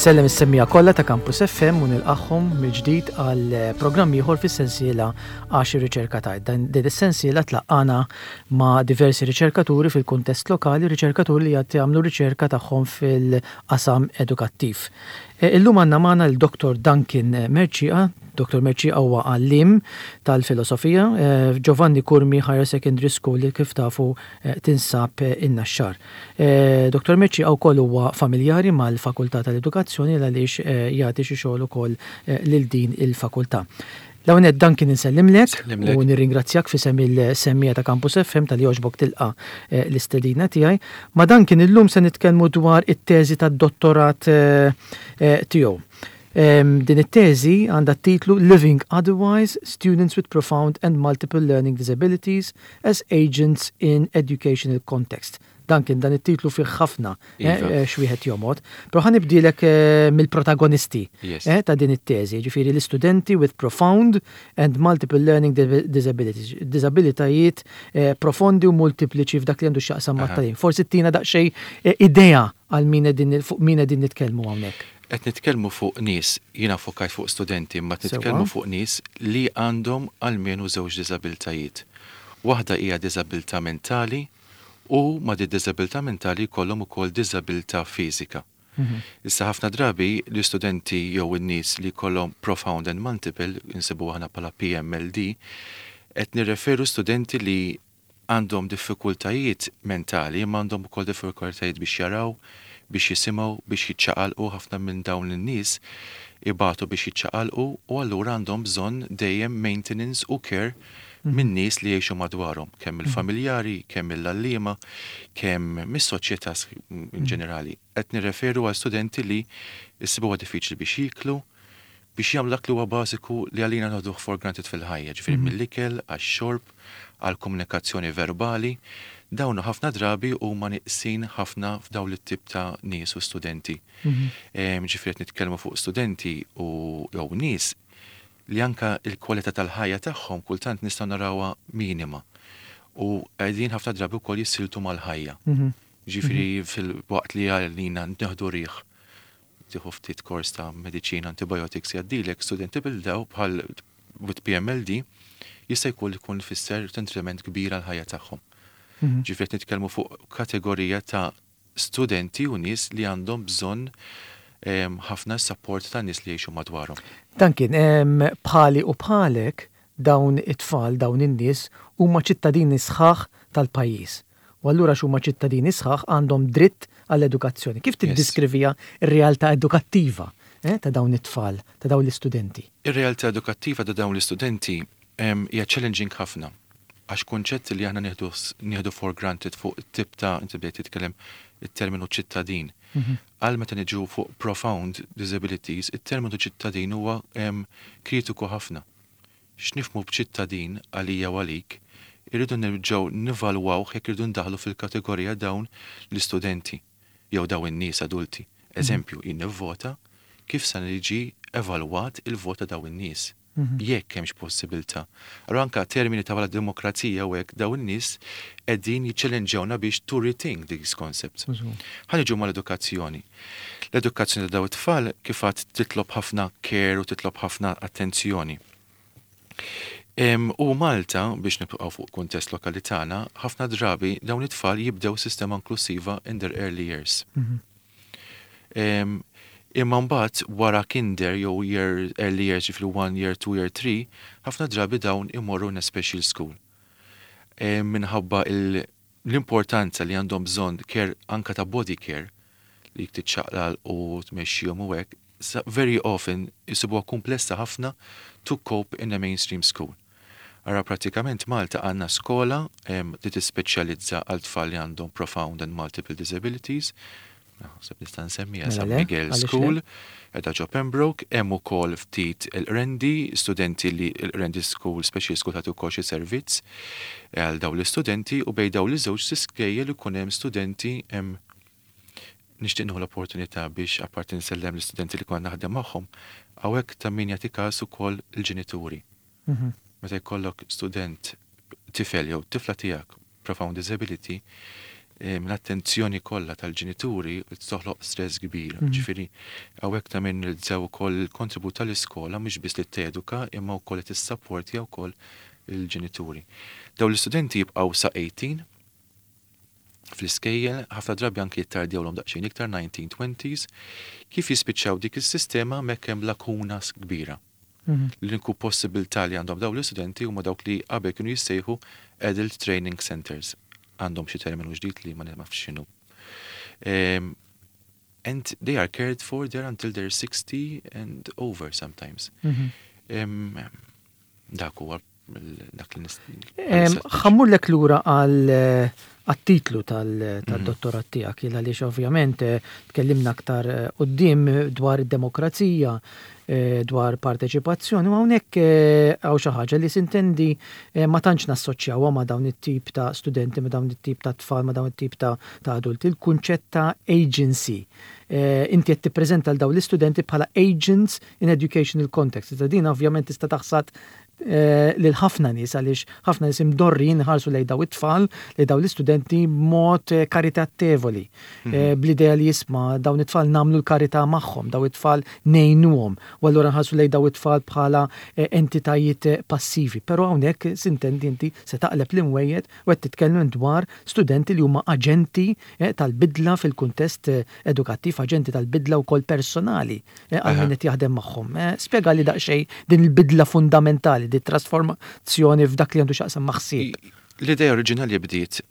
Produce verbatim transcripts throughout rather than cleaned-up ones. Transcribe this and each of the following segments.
Insellem is-semmiegħa kollha ta' Campus F M u nilqagħhom mill-ġdid għal programm ieħor fis-sensiela Għax ir-Riċerka Tgħid. Dan din is-sensiela tlaqqana ma' diversi riċerkaturi fil-kuntest lokali, riċerkaturi li qed jagħmlu riċerka tagħhom fil-qasam edukattiv. E, illum għandna magħna l-Dottor Duncan Mercieca. Dottor Mercieca huwa għalliem tal-filosofija e, Giovanni Curmi Higher Secondary School li, kif tafu, e, tinsab in-Naxxar. Dottor Mercieca wkoll huwa familjari mal-Fakultà tal-Edukazzjoni għaliex jagħti xi xogħol ukoll lil din il-fakultà. L-ewwel, Duncan, insellimlek u nirringrazzjak f'isem il-semmiegħa ta' Campus F M talli għoġbok tilqa l-istedina tiegħi. Ma' Duncan illum se nitkellmu dwar it-teżi tad-dottorat tiegħu. Din it-teżi għandha titlu "Living Otherwise: Students with Profound and Multiple Learning Disabilities as Agents in Educational Context". Duncan, dan it-titlu fih ħafna eh, Iva. eh, x'wieħed jomgħod. Però ħa nibdilek eh, mill-protagonisti Yes. eh, ta' din it-teżi, ġifieri l-istudenti with profound and multiple learning disabilities, disabilitajiet eh, profondi u multipliċi f'dak li għandu x'jaqsam Aha. mat-tagħlim. Forsi tina daqsxejn eh, idea għal min qegħdin fuq min qegħdin nitkellmu hawnhekk. Qed nitkellmu fuq nies, jiena fokajt fuq studenti, ma Sewwa. nitkellmu fuq nies li għandhom almenu żewġ diżabiltajiet. Waħda hija diżabilità mentali u ma' di diżabilità mentali jkollhom ukoll diżabilità fiżika. Issa, ħafna drabi l-istudenti jew in-nies li jkollhom profound and multiple, insibu aħna bħala P M L D, qed nirreferu studenti li għandhom diffikultajiet mentali, imma għandhom ukoll diffikultajiet biex jaraw, biex jisimgħu, biex jiċċaqalqu. Ħafna minn dawn in-nies ibatu biex jiċċaqalqu u allura għandhom bżonn dejjem maintenance u care minn nies li jgħixu madwarhom, kemm il-familjari, kemm il-għalliema, kemm mis-soċjetà in ġenerali. Qed nirreferu għal studenti li jsibuha diffiċli biex jiklu, biex jagħmlu dak li huwa bażiku li għalina noħduh for granted fil-ħajja, ġifieri mill-ikel, għax-xorb, għall-komunikazzjoni verbali, dawn ħafna drabi huma neqsin ħafna f'dawn it-tip ta' nies u studenti. Em, Ġifieri qed nitkellmu fuq studenti u jew nies li anka il-kwalità tal-ħajja tagħhom kultant nistgħu narawha minima. U qegħdin ħafna drabi wkoll jissiltu mal-ħajja. Ġifieri fil-waqt li għalina nieħdu riħ, tieħu ftit kors ta' mediċina, antibiotics, jgħaddilek, studenti bil-daw bħal with P M L D jista' jkun ikun fisser detriment kbir għal ħajja tagħhom. Ġifieri qed nitkellmu fuq kategorija ta' studenti u nies li għandhom bżonn em, ħafna support ta' nies li jgħixu madwarhom. Duncan, em, bħali u bħalek dawn it-tfal, dawn in-nies huma ċittadini sħaħ tal-pajjiż. U allura x'huma ċittadini sħaħ għandhom dritt għall-edukazzjoni. Kif tiddiskrivija r-realtà edukattiva eh, ta' dawn it-tfal, ta' dawn l-istudenti? Ir-realtà edukattiva ta' dawn l-istudenti em, hija challenging ħafna. Għax kunċett li aħna nieħdu nieħdu for granted fuq it-tip ta', inti bdejt titkellem it-terminu ċittadin. Għal meta niġu fuq profound disabilities, it-terminu ċittadin huwa em, kritiku ħafna. X'nifhmu b'ċittadin għalija u għalik, irridu nerġgħu nivalwaw jekk irridu ndaħlu fil-kategorija dawn l-istudenti jew dawn in-nies adulti. Eżempju, jien nivvota, kif sa niġi evalwat il-vota dawn in-nies? Jekk hemmx possibilità. Allura anka termini ta' bħala demokrazija u hekk, dawn in-nies qegħdin jiċċellenġawna biex to rethink these concepts. Ħa niġu mal-edukazzjoni. L-edukazzjoni ta' dawn it-tfal, kif għad, titlob ħafna care u titlob ħafna attenzjoni. Em, u Malta, biex nibqgħu fuq kuntest lokali tagħna, ħafna drabi dawn it-tfal jibdew sistema inklusiva in their early years. Em, Imma mbagħad wara kinder jew year early years, ġifieri one year, two year, three, ħafna drabi dawn imorru in a special school. Em, Minħabba il- l-importanza li għandhom bżonn care, anka ta' body care, li tiċċaqlal u tmexxihom u hekk, sa- very often jisibuha komplessa ħafna to cope in a mainstream school. Ara, pratikament Malta għandna skola em, li tispeċjalizza għal tfal li għandhom profound and multiple disabilities. Naħseb nista' nsemmiha Mela San le, Miguel għaliex le? School, qiegħda ġo Pembroke, hemm ukoll ftit il-Qrendi, studenti li il-Qrendi School, Special School, tagħti wkoll xi servizz għal dawn l-istudenti u bejn dawn l-żewġ skejjel ikun hemm studenti. Hemm nixtieq nieħu l-opportunità biex apparti nsellem l-istudenti li konna naħdem magħhom, hawnhekk ta' min jagħti każ ukoll il-ġenituri. Meta jkollok student, tifel jew tifla tiegħek profound disability, L-attenzjoni kollha tal-ġenituri toħloq stress kbir. Mhm. Ġifieri hawnhekk ta' min nilżaw ukoll il-kontribut tal-iskola, mhux biss li teduka imma wkoll li tissapportja wkoll il-ġenituri. Dawn l-istudenti jibqgħu sa tmintax fl-iskejjel, ħafna drabi anki jittardjawlhom daqsxejn iktar, nineteen twenties, kif jispiċċaw dik is-sistema hemmhekk hemm lakuna kbira. Mhm. L-uniku possibilità li għandhom dawn l-istudenti huma dawk li qabel kienu jissejħu Adult Training Centers. Għandhom xi terminu ġdid li ma nafx x'inhu. Um, and they are cared for there until they're sixty and over sometimes. Mm -hmm. um, dak huwa dak li Ħa mmurlek lura għal għat-titlu tal-dottorat tiegħek, il għaliex ovvjament eh, tkellimna aktar eh, quddiem dwar id-demokrazija, eh, dwar parteċipazzjoni, u hawnhekk hawn xi ħaġa li sintendi ma tantx nassoċjawha ma' dawn it-tip ta' studenti, ma' dawn it-tip ta' tfal, ma' dawn it-tip ta' adulti, il-kunċett ta' agency. Inti qed tippreżenta l dawn l-istudenti bħala agents in educational context. Iżda din ovvjament tista' taħsad Eh, lil ħafna nies, għaliex ħafna nies imdorrin ħarsu lejn daw it-tfal, lejn daw l-istudenti mod eh, karitatevoli. Mhm. Eh, bl-idea li jisma' dawn it-tfal nagħmlu l-karità magħhom, daw it-tfal ngħinuhom, u allura nħarsu lejn daw it-tfal bħala entitajiet passivi. Però hawnhekk sintendi inti se taqleb l-imwejjed u qed titkellem dwar studenti li huma aġenti tal-bidla fil-kuntest edukattiv, aġenti tal-bidla wkoll personali għal min qed jaħdem magħhom. Spjega li daqsxejn din il-bidla fundamentali, di trasformazzjoni f'dak li għandu x'jaqsam ma' ħsieb. L-idea oriġinali bdiet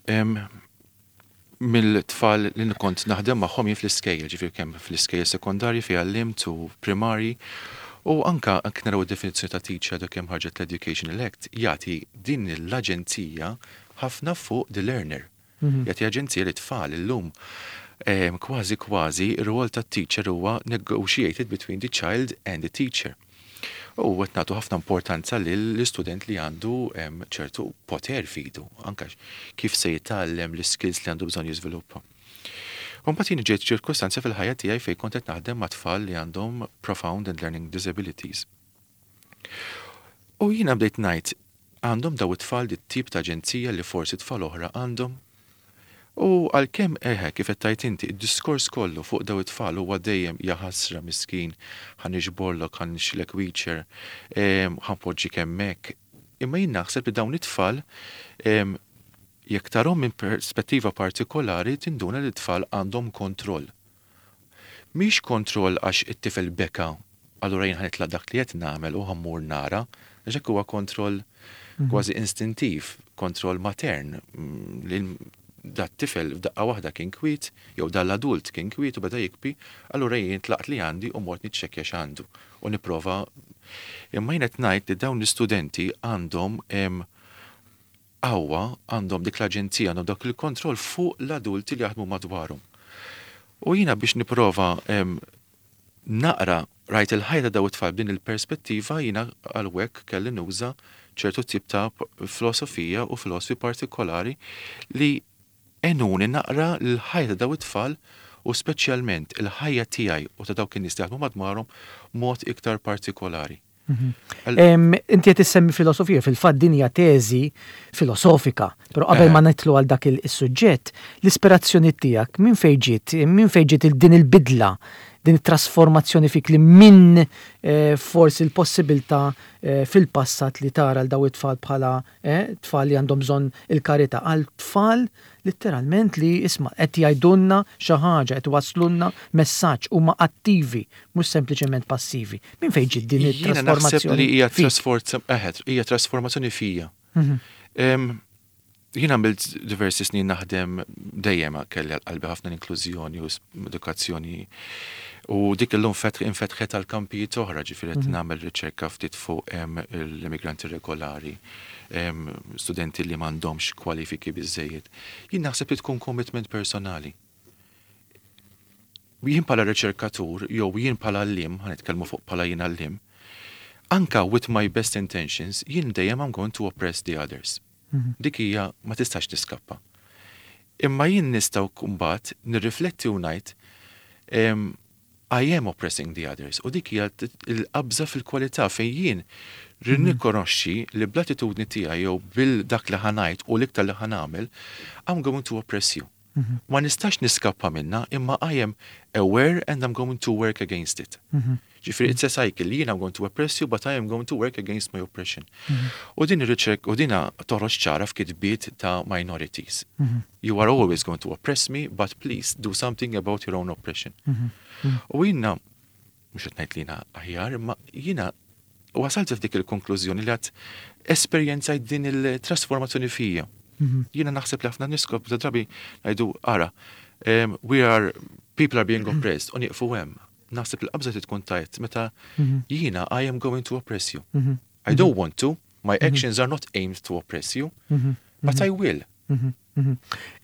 mill-tfal li kont naħdem magħhom jien fl-iskejjel, ġifieri kemm fl-iskejjel sekondarji fejn għallimt u primari, u anka anke naraw id-definizzjoni ta' teacher dak kemm ħarġet l-Education Act, jagħti din l-aġenzija ħafna fuq the learner. Mhm. Jagħti aġenzija li tfal illum kważi kważi ir-rwol tat-teacher huwa negotiated between the child and the teacher. U qed nagħtu ħafna importanza lill-istudent li għandu ċertu poter f'idu, anka kif se jitgħallem, l-skills li għandu bżonn jiżviluppa. U mbagħad jien ġejt ċirkostanza fil-ħajja tiegħi fejn kont qed naħdem ma' tfal li għandhom profound and learning disabilities. U jiena bdejt ngħid, għandhom daw it-tfal dit tip ta' aġenzija li forsi tfal oħra għandhom? U għalkemm eħe, kif qed tgħid inti, id-diskors kollu fuq daw it-tfal huwa dejjem jaħasra miskin, ħa niġborlok, ħa nixtrilek wheelchair, ħa npoġġik hemmhekk. Imma jien naħseb li dawn it-tfal, jekk tarhom minn perspettiva partikolari, tinduna li t-tfal għandhom kontroll. Mhix kontroll għax it-tifel beka, allura jien ħa nitlaq dak li qed nagħmel u ħa mmur nara, għax hekk huwa kontroll mhm. kważi instintiv, kontroll matern, mm, li dat tifel f'daqqa waħda kien kwiet, jew dal-adult kien kwiet u beda jibki, allura jien tlaqt li għandi u mort niċċekkja x'għandu u nipprova. Imma jien qed ngħid li dawn l-istudenti għandhom qawwa, għandhom dik l-aġenzija, għandhom dak il-kontroll fuq l-adulti li jaħdmu madwarhom. U jiena biex nipprova naqra rajt il-ħajja daw it-tfal b'din il-perspettiva, jiena għalhekk kelli nuża ċertu tip ta' filosofija u filosofi partikolari li għenuni naqra l-ħajja ta' daw it-tfal u speċjalment il-ħajja tiegħi u ta' dawk in-nies li jaħdmu madwarhom mod iktar partikolari. Mhm. Inti qed issemmi filosofija, fil-fatt din hija teżi filosofika, però qabel ma nidħlu għal dak is-suġġett, l-ispirazzjoni tiegħek minn fejn ġiet, minn fejn ġiet din il-bidla, din it-trasformazzjoni fik li minn eh, forsi l-possibilità eh, fil-passat li tara l daw it-tfal bħala eh, tfal li għandhom bżonn il-karità għal tfal letteralment li isma' qed jgħidulna xi ħaġa, qed waslulna messaġġ, huma attivi, mhux sempliċement passivi. Minn fejn ġiet din it-trasformazzjoni? Li hija hija trasformazzjoni fija. Mhm. Jien għamilt diversi snin naħdem, dejjem kelli qalbi ħafna l-inklużjoni u edukazzjoni u dik illum infetħet għal kampijiet oħra, ġifieri qed mhm. nagħmel riċerka ftit fuq l-immigranti regolari, studenti li m'għandhomx kwalifiki biżejjed. Jien naħseb li tkun commitment personali. Jien bħala riċerkatur jew jien bħala għalliem, ħa nitkellmu fuq bħala jien għalliem, anka with my best intentions, jien dejjem I'm going to oppress the others. Mhm. Dik hija ma tistax tiskappa. Imma jien nistgħu mbagħad nirrifletti u ngħid, I am oppressing the others. U dik hija l-qabża fil-kwalità fejn jien rikonoxxi li bl-attitudni tiegħi jew bil dak li ħa ngħid u l-iktar li ħa nagħmel, I'm going to oppress you. Ma nistax niskappa minna, imma I am aware and I'm going to work against it. Ġifieri, it's a cycle. Jien I'm going to oppress you, but I am going to work against my oppression. U din ir-riċerka, u dina toħroġ ċara f'kitbiet ta' minorities. You are always going to oppress me, but please do something about your own oppression. U jiena, mhux qed ngħid li jiena aħjar, imma jiena wasalt f'dik il-konklużjoni li għad esperjenzajt din il-trasformazzjoni fija. Jiena naħseb li ħafna niskop ta' drabi ngħidu ara, um, we are, people are being oppressed, u nieqfu hemm. Naħseb li qabża tkun tajt meta jiena I am going to oppress you. I don't want to, my actions are not aimed to oppress you, but I will.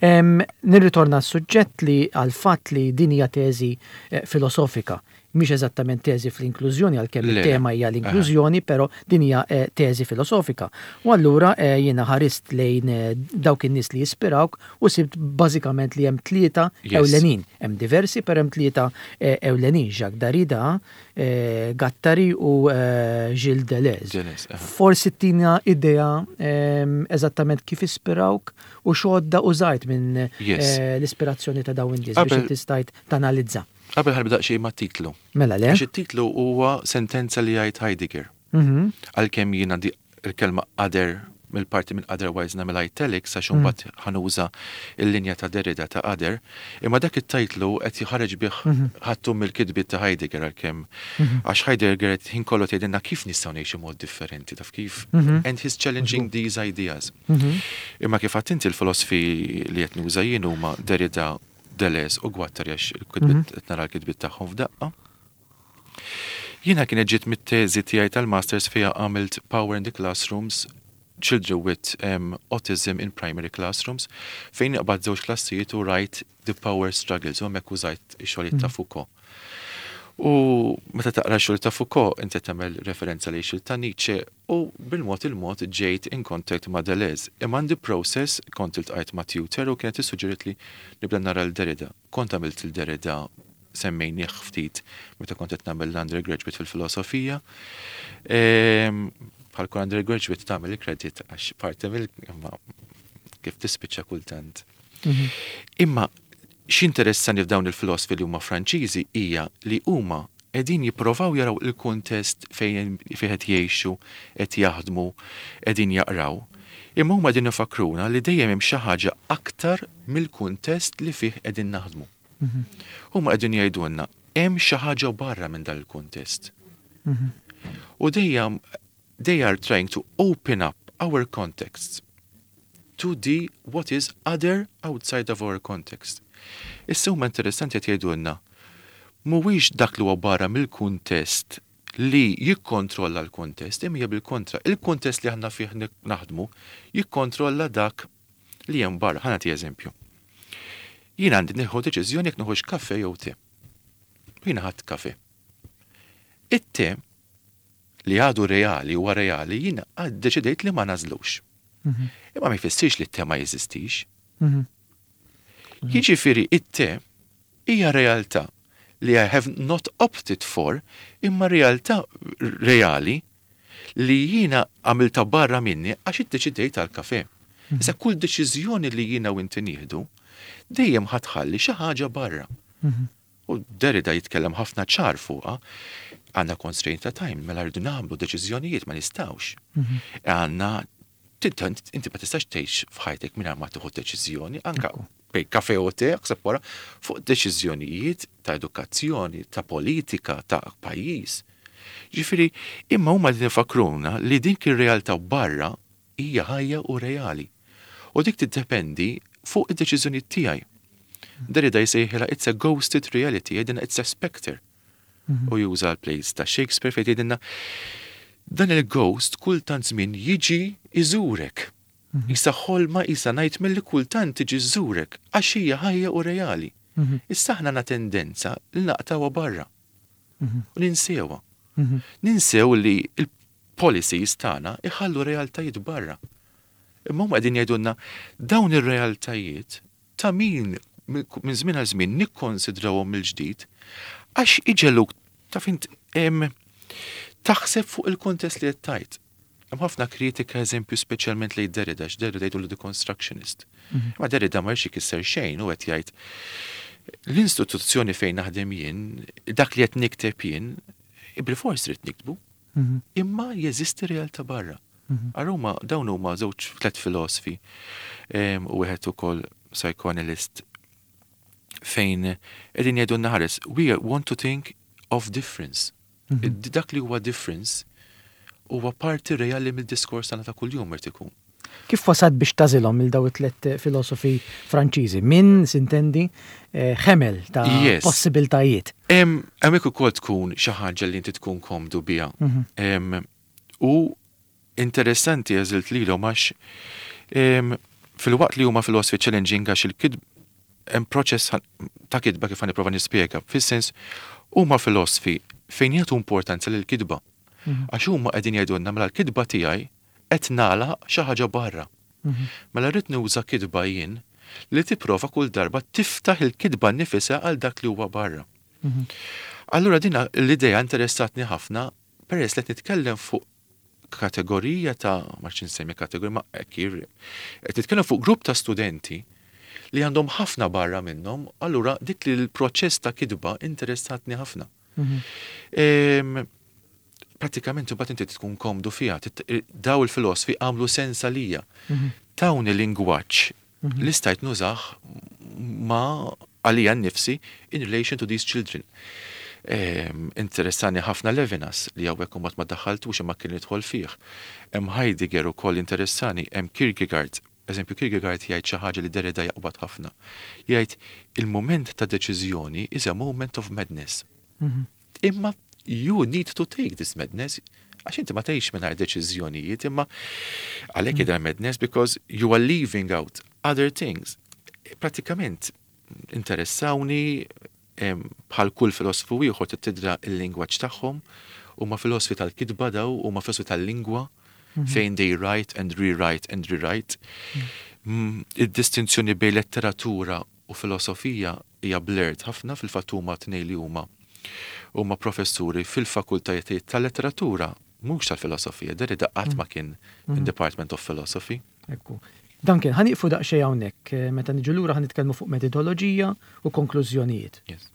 Em, Nirritorna s-suġġett li għal-fatt li din hija teżi eh, filosofika, mhix eżattament teżi fl-inklużjoni għalkemm Le. il-tema hija l-inklużjoni, però din hija eh, teżi filosofika. U allura eh, jiena ħarist lejn eh, dawk in-nies li jispirawk u sibt bażikament li hemm tlieta Yes. ewlenin. Hemm diversi, però hemm tlieta eh, ewlenin, Jacques Derrida, eh, Guattari u eh, Gilles Deleuze. Deleuze, aha. Forsi tina idea em, eżattament kif ispirawk u x'għodda użajt minn Yes. eh, l-ispirazzjoni ta' dawn in-nies biex Qabel- inti stajt tanalizza. Qabel ħa nibda xi ma' titlu. Mela le? Għax it-titlu huwa sentenza li jgħid Heidegger. Mhm. Għalkemm jiena di il-kelma other mill-parti minn otherwise nagħmel italics għax imbagħad ħa nuża il-linja ta' Derrida ta' other, imma dak it-titlu qed jħareġ bih ħattu mill-kitbiet ta' Heidegger għalkemm għax Heidegger qed ħin kollu tgħidilna kif nistgħu ngħixu mod differenti taf kif and he's challenging these ideas. Imma kif għedt inti l-filosofi li qed nuża jien huma Derrida, Deleuze u Guattari għax il-kitbiet qed nara l-kitbiet tagħhom f'daqqa. Jiena kienet ġiet mit-teżi tiegħi tal-masters fija għamilt Power in the Classrooms Children with um, Autism in Primary Classrooms fejn qbad żewġ klassijiet u rajt The Power Struggles u hemmhekk użajt ix-xogħlijiet ta' Foucault. U meta taqra xogħol ta' Foucault inti tagħmel referenza li xogħol ta' Nietzsche u bil-mod il-mod ġejt in contact ma' Deleuze. Imma għandi process kont iltqajt ma' tutor u kienet issuġġeriet li nibda nara l-Derrida. Kont għamilt il-Derrida semmejnieh ftit meta kont qed nagħmel l-undergraduate fil-filosofija. Ehm, Bħal kull undergraduate tagħmel il-credit għax parti mill imma kif tispiċċa kultant. Imma x'interessani f'dawn il-filosofi li huma Franċiżi hija li huma qegħdin jipprovaw jaraw il-kuntest fejn fejn qed jgħixu, qed jaħdmu, qegħdin jaqraw. Imma huma qegħdin ifakruna li dejjem hemm xi ħaġa aktar mill-kuntest li fih qegħdin naħdmu. Huma qegħdin jgħidulna hemm xi ħaġa barra minn dan il-kuntest. U dejjem they are trying to open up our contexts to the what is other outside of our context. Issa huma interessanti qed jgħidulna mhuwiex dak li huwa barra mill-kuntest li jikkontrolla l-kuntest, imma hija bil-kontra. Il-kuntest li aħna fih naħdmu jikkontrolla dak li hemm barra. Ħa nagħti eżempju. Jien għandi nieħu deċiżjoni jekk nieħux kafe jew te. Jiena ħadt kafe. It-te li għadu reali huwa reali, jiena għad deċidejt li ma nażlux. Imma ma jfissirx li t-te ma jeżistix. Jiġifieri it-te hija realtà li I have not opted for, imma realtà reali li jiena għamilta barra minni għax iddeċidejt għal kafe. Issa kull deċiżjoni li jiena u inti nieħdu, dejjem ħa tħalli xi ħaġa barra. U Derrida jitkellem ħafna ċar fuqha, għandna constraint ta' time, mela rridu nagħmlu deċiżjonijiet ma nistgħux. Għandna inti ma tistax tgħix f'ħajtek mingħajr ma tieħu deċiżjoni, anka bejn kafe u te, ħseb wara, fuq deċiżjonijiet ta' edukazzjoni, ta' politika, ta' pajjiż. Ġifieri, imma huma li nifakruna li dik ir-realtà barra hija ħajja u reali. U dik tiddependi fuq id-deċiżjonijiet tiegħi. Derrida jsejħilha it's a ghosted reality, jgħidilna it's a specter. U juża l-plays ta' Shakespeare fejn jgħidilna dan il-ghost kultant żmien jiġi iżurek. Isa ħolma isa nightmare li kultant tiġi żurek għax hija ħajja u reali. Issa aħna għandna tendenza li naqtawha barra. U ninsewha. Ninsew li il-policies tagħna iħallu realtajiet barra. Imma huma qegħdin jgħidulna dawn ir-realtajiet ta' min minn żmien għal żmien nikkonsidrawhom mill-ġdid għax iġegħluk taf int taħseb fuq il-kontest li qed tajt. Hemm ħafna kritika, eżempju, speċjalment lejn Derrida, għax Derrida jgħidu deconstructionist. Mhm. Ma Derrida ma jridx ikisser xejn u qed jgħid l-istituzzjoni fejn naħdem jien, dak li qed nikteb jien, bil-fors trid niktbu. Mhm. Imma jeżisti realtà barra. Mhm. Aruma dawn huma żewġ tliet filosofi u wieħed ukoll psychoanalyst fejn qegħdin jgħidu naħares, we want to think of difference. Dak li huwa difference huwa parti reali mill-diskors tagħna ta' kuljum irid ikun. Kif wasalt biex tagħżilhom il daw it-tlet filosofi Franċiżi? Min sintendi eh, ħemel ta' yes. possibiltajiet. Hemmhekk ukoll tkun xi ħaġa li inti tkun komdu biha. Mhm. U interessanti għażilt lilhom għax filwaqt li huma filosofi challenging, għax il-kitb hemm proċess ta' kitba kif nipprova nispjega. Fis-sens huma filosofi fejn jagħtu importanza lil kitba. Mhm. Għax huma qegħdin jgħidulna mela l-kitba tiegħi qed nagħlaq xi ħaġa barra. Mhm. Mela rrid nuża kitba jien li tipprova kull darba tiftaħ il-kitba nifisha għal dak li huwa barra. Mhm. Allura din l-idea interessatni ħafna peress li qed nitkellem fuq kategorija ta', ma nsemmi kategorija, ma qed nitkellem fuq grupp ta' studenti li għandhom ħafna barra minnhom, allura dik li l-proċess ta' kitba interessatni ħafna. Mhm. Pratikament imbagħad inti tkun komdu fiha. Daw il-filosofi għamlu sens għalija. Mhm. Tawni lingwaġġ mhm. li stajt nużah ma għalija nnifsi in relation to these children. Interessani ħafna Levinas li hawnhekk u ma daħħaltux imma kien jidħol fih. Hemm Heidegger ukoll interessani, hemm Kierkegaard. Eżempju, Kierkegaard jgħid xi ħaġa li Derrida jaqbad ħafna. Jgħid il-moment ta' deċiżjoni is a moment of madness. Mhm. Imma you need to take this madness, għax inti ma tgħix mingħajr deċiżjonijiet, imma għalhekk mm. madness because you are leaving out other things. Pratikament interessawni bħal kull filosofu ieħor tidra il-lingwaġġ tagħhom, huma filosofi tal-kitba daw, huma filosofi tal-lingwa mhm. fejn they write and rewrite and rewrite. Mm, id-distinzjoni bejn letteratura u filosofija hija blurred ħafna. Fil-fatt huma tnejn li huma huma professuri fil-fakultajiet tal-letteratura, mhux tal-filosofija. Derrida qatt ma kien in mhm. Department of Philosophy. Ekku. Duncan, ħa nieqfu daqsxejn hawnhekk, eh, meta niġu lura ħa nitkellmu fuq metodoloġija u konklużjonijiet. Yes.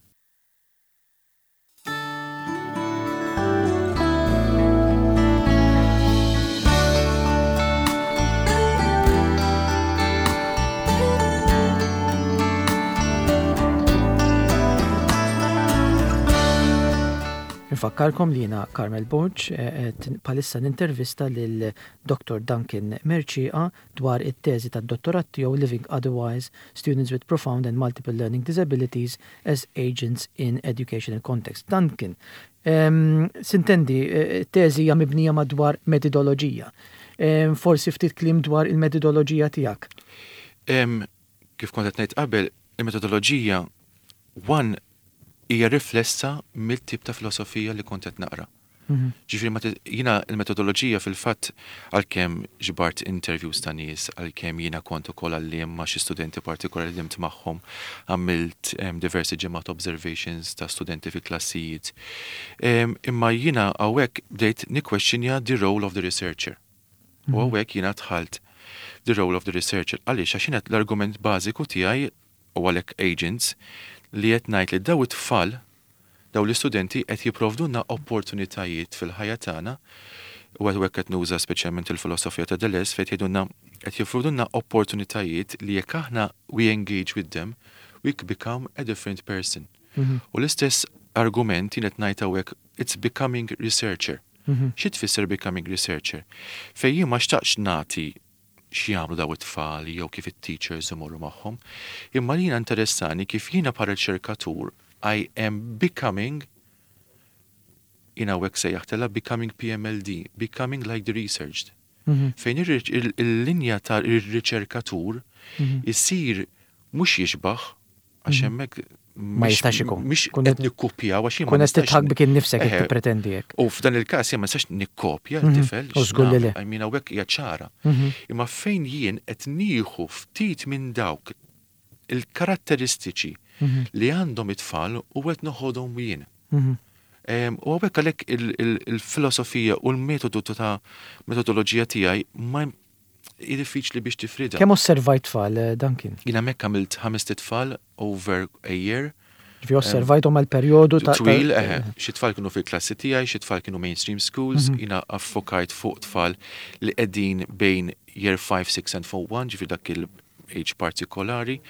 Infakkarkom li jiena Carmel Borg, eh, bħalissa nintervista lil Doktor Duncan Mercieca dwar it-teżi tad-dottorat tiegħu Living Otherwise: Students with Profound and Multiple Learning Disabilities as Agents in Educational Context. Duncan, um, sintendi, eh, teżi hija mibnija madwar metodoloġija. Um, forsi ftit kliem dwar il-metodoloġija tiegħek. Um, kif kont qed ngħid qabel, il-metodoloġija one hija riflessa mill-tip ta' filosofija li kont qed naqra. Mhm. Ġifieri ma jiena il-metodoloġija fil-fatt, għalkemm ġbart interviews ta' nies, għalkemm jiena kont ukoll għalliem ma' xi studenti partikolari li ħdimt magħhom, għamilt em, diversi ġimgħat observations ta' studenti fi klassijiet. Em, Imma jiena hawnhekk bdejt nikkwestjonja the role of the researcher. U hawnhekk jiena dħalt the role of the researcher. Għaliex? Għax jiena l-argument bażiku tiegħi, u għalhekk agents, li qed ngħid li daw it-tfal, daw l-istudenti qed jipprovdulna opportunitajiet fil-ħajja tagħna, u għed qed nuża speċjalment il-filosofija ta' Deleuze fejn jgħidulna qed jipprovdulna opportunitajiet li jekk aħna we engage with them, we become a different person. Mhm. U l-istess argument jien qed ngħid hawnhekk, it's becoming researcher. Mhm. Xi tfisser becoming researcher? Fejn jien ma xtaqx nagħti x'jagħmlu daw it-tfal jew kif it-teachers imorru magħhom, imma li jiena interessani kif jiena bħala riċerkatur I am becoming, jiena hawnhekk sejjaħtilha becoming P M L D, becoming like the researched. Mhm. Fejn ir- il- il-linja ta' ir-riċerkatur Mhm. isir mhux jixbaħ, għax hemmhekk Ma jistax ikun. Mhix Kun qed nikkopjaw għax jien ma Kun qed nistax titħak bik innifsek jekk Eħe. tippretendi hekk. U f'dan il-każ jien ma nistax nikkopja Mhm. l-tifel. U żgur li le. I mean, hawnhekk hija ċara. Mhm. Imma fejn jien qed nieħu ftit minn dawk il-karatteristiċi Mhm. li għandhom it-tfal u qed noħodhom jien. Mhm. U hawnhekk għalhekk il-filosofija u l-metodu ta' metodoloġija tiegħi ma diffiċli biex tifrida. Kemm osservajt tfal, eh, Duncan? Jiena hemmhekk għamilt ħamest itfal over a year. Ġifieri osservajthom għal perjodu ta' twil, eħe, xi tfal kienu fil-klassi tiegħi, xi tfal kienu mainstream schools, mhm. jiena affokajt fuq tfal li qegħdin bejn year five, six and four one, ġifieri dak il-age partikolari.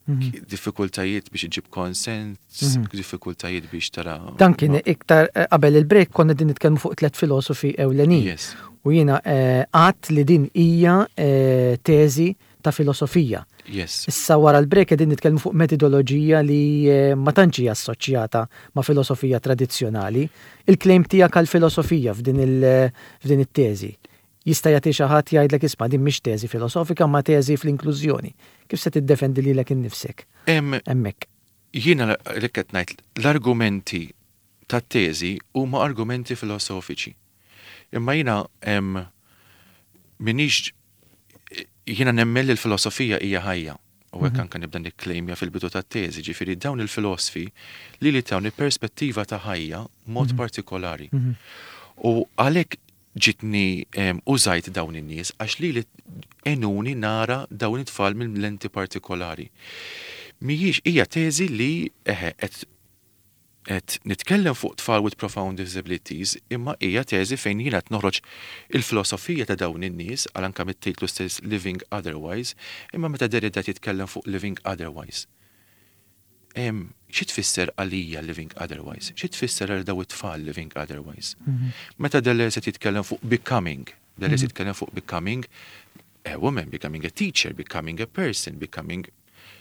Mhm. Diffikultajiet biex iġib konsens, mhm. diffikultajiet biex tara. Dan kien iktar eh, qabel il-break konna din nitkellmu fuq tliet filosofi ewlenin. Yes. U jiena eh, għedt li din hija eh, teżi ta' filosofija. Yes. Issa wara l-break qegħdin nitkellmu fuq metodoloġija li ma tantx hija assoċjata ma' filosofija tradizzjonali. Il-claim tiegħek għal filosofija f'din it-teżi. Jista' jagħti xi ħadd jgħidlek, "Isma', din mhix teżi filosofika ma teżi fl-inklużjoni." Kif se tiddefendi lilek innifsek? Hemmhekk. Jiena li qed ngħid, l-argumenti tat-teżi huma argumenti filosofiċi. Imma jiena minix, jiena nemmen li l-filosofija hija ħajja. U hekk mhm. anke nibda nikklejmja fil-bidu tat-teżi, ġifieri dawn il-filosofi li li tawni perspettiva ta' ħajja mod mhm. partikolari. Mhm. U għalhekk ġitni użajt dawn in-nies għax li li għenuni nara dawn it-tfal minn lenti partikolari. Mhijiex, hija teżi li eħe qed qed nitkellem fuq tfal with profound disabilities, imma hija teżi fejn jiena qed noħroġ il-filosofija ta' dawn in-nies, għal anke mit-titlu stess, Living Otherwise. Imma meta Derrida jitkellem fuq living otherwise, xi tfisser għalija living otherwise? Xi tfisser għal daw it-tfal living otherwise? Mhm. Meta Deleuze jitkellem fuq becoming, Deleuze mhm. jitkellem fuq becoming a woman, becoming a teacher, becoming a person, becoming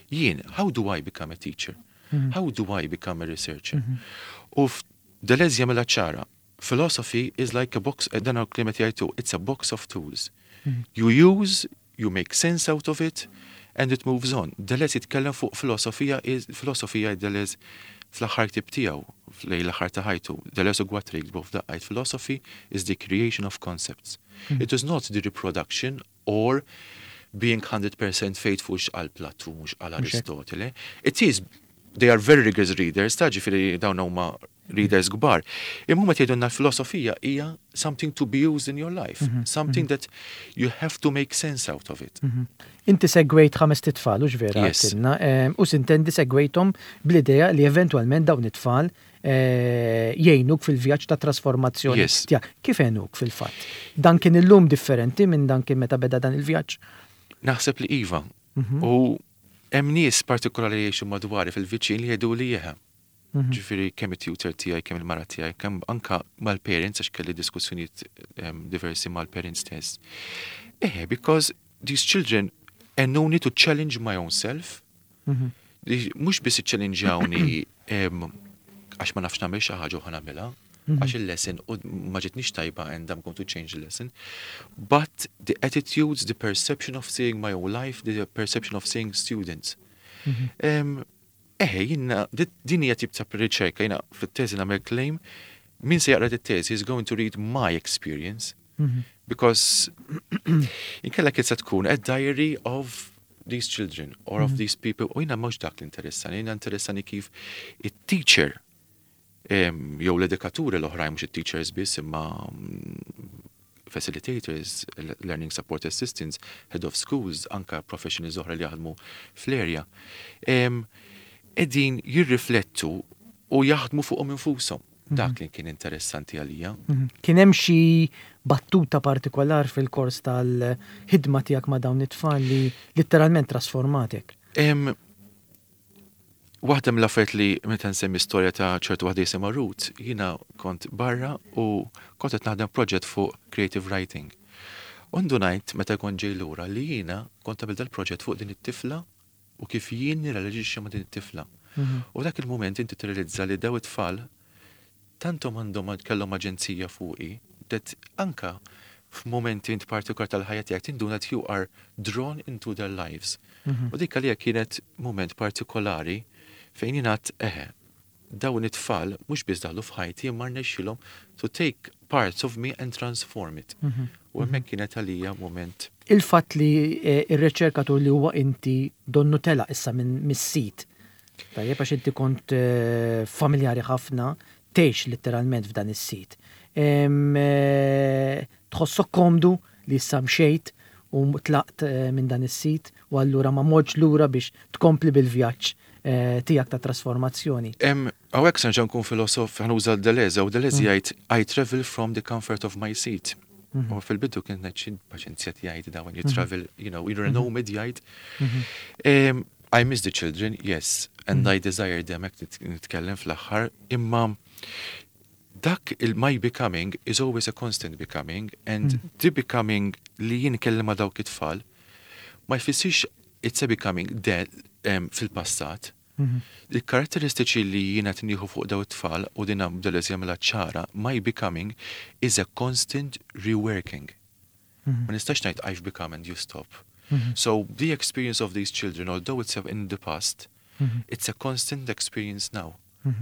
jien, how do I become a teacher? Mhm. How do I become a researcher? U Deleuze jagħmilha ċara. Philosophy is like a box, eh, dan kliem jgħidu, it's a box of tools. You use, you make sense out of it, and it moves on. Deleuze jitkellem fuq filosofija, filosofija Deleuze fl-aħħar ktieb tiegħu, lejn l-aħħar ta' ħajtu, Deleuze u Guattari jiktbu f'daqqa, philosophy is the creation of concepts. Mm. It is not the reproduction or being one hundred percent faithful x'qal Plato, mhux qal Aristotele. It is, they are very rigorous readers, ta' ġifieri dawn huma readers kbar. Imma huma tgħidulna l-filosofija hija something to be used in your life, mm -hmm. something mm -hmm. that you have to make sense out of it. Mm -hmm. Inti segwejt ħamest itfal, u vera? Yes. U sintendi segwejthom bl-idea li eventualment dawn it-tfal eh, jgħinuk fil-vjaġġ ta' trasformazzjoni. Yes. Kif għenuk fil-fatt? Dan kien illum differenti minn dan kien meta beda dan il-vjaġġ? Naħseb li iva. U hemm nies partikolari jgħixu madwari fil-viċin li jgħidu li jeħe. Mhm. Ġifieri kemm it-tutor tiegħi, kemm il-mara tiegħi, kemm anka mal-parents, għax kelli diskussjonijiet diversi mal-parents stess. Eh, because these children għenuni to challenge my own self. Mhm. Mhux biss iċċellinġjawni għax ma nafx nagħmel xi ħaġa u ħa nagħmilha, mhm. għax il-lesson u ma ġitnix tajba and I'm going to change the lesson. But the attitudes, the perception of seeing my own life, the perception of seeing students. Eħe, jiena, din hija tip ta' riċerka, jiena fit-teżi nagħmel claim, min se jaqra t-teżi is going to read my experience. Mhm. Because inkella kien se tkun a diary of these children or of mhm. these people. U jiena mhux dak l-interessani, jiena interessani kif it-teacher jew l-edukaturi l-oħrajn, mhux it-teachers biss imma mm, facilitators, learning support assistants, head of schools, anka professionals oħra li jaħdmu fl-area, qegħdin jirriflettu u jaħdmu fuqhom infushom. Dak li kien interessanti għalija. Mhm. Kien hemm xi battuta partikolar fil-kors tal-ħidma tiegħek ma' dawn it-tfal li letteralment trasformatek? Waħda mill-affarijiet li meta nsemmi storja ta' ċertu waħda jisimha Ruth, jiena kont barra u kont qed naħdem proġett fuq creative writing. U ndunajt meta kont ġej lura li jiena kont għamilt dal-proġett fuq din it-tifla u kif jien nirrelaġixxi ma' din it-tifla. Mhm. U dak il-moment inti tirrealizza li daw it-tfal tantom għandhom kellhom aġenzija fuqi that anka f'momenti int partikolar tal-ħajja tiegħek tinduna that you are drawn into their lives. Mhm. U dik għalija kienet moment partikolari fejn jingħad eħe, dawn it-tfal mhux biss daħlu f'ħajti imma rnexxilhom to take parts of me and transform it. Mhm. U hemmhekk kienet għalija moment. Il-fatt li eh, ir-riċerkatur li huwa inti donnu tela issa minn mis-sit Tajjeb, għax inti kont eh, familjari ħafna, tgħix letteralment f'dan is-sit. Em, eh, Tħossok komdu li issa mxejt u tlaqt eh, minn dan is-sit u allura ma mortx lura biex tkompli bil-vjaġġ eh, tiegħek ta' trasformazzjoni? Em, Hawnhekk se nerġa' nkun filosof, ħa nuża Deleuze, u Deleuze jgħid, "I travel from the comfort of my seat." U fil-bidu kien ngħid, paċenzja jgħid da, when you travel, you know, you're a nomad, jgħid. Um, I miss the children, yes, and I desire them, hekk nitkellem fl-aħħar, imma dak il-my becoming is always a constant becoming, and the becoming li jien kellem ma' dawk it-tfal ma jfissirx it's a becoming de um, fil-passat. Il-karatteristiċi li jiena nieħu fuq daw it-tfal, u dina Deleuze jagħmilha ċara, my becoming is a constant reworking. Ma nistax ngħid "I've become" and you stop. So the experience of these children, although it's in the past, it's a constant experience now.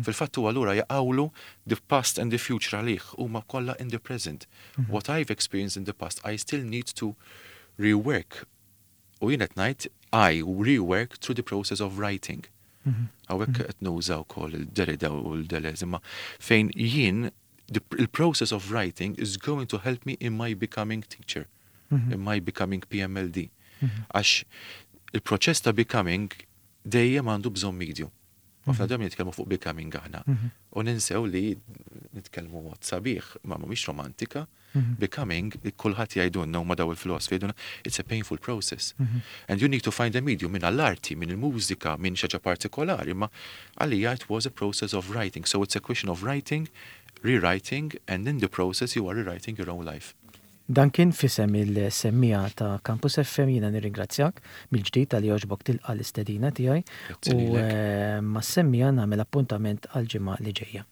Fil-fatt u allura jaqawlu the past and the future għalih huma kollha in the present. What I've experienced in the past, I still need to rework. U jien qed ngħid I rework through the process of writing. Hawnhekk qed nuża wkoll il-Derrida u l-Deleuze, imma fejn jien the the process of writing is going to help me in my becoming teacher, in my becoming P M L D. Għax il-proċess ta' becoming dejjem għandu bżonn medium. Ħafna dejjem nitkellmu fuq becoming aħna. U ninsew li nitkellmu mod sabiħ, ma mhix romantika. Becoming, kulħadd jgħidulna huma daw il-filosofi jgħidulna, it's a painful process. And you need to find a medium minn l-arti, minn il-mużika, minn xi ħaġa partikolari, ma għalija it was a process of writing. So it's a question of writing, rewriting, and in the process you are rewriting your own life. Dan kien f'isem il-semmiegħa ta' Campus F M. Jiena nirringrazzjak mill-ġdid talli għoġbok tilqa' l-istedina tiegħi Grazzi u lilek. eh, mas-semmiegħa nagħmel appuntament għal ġimgħa li ġejja.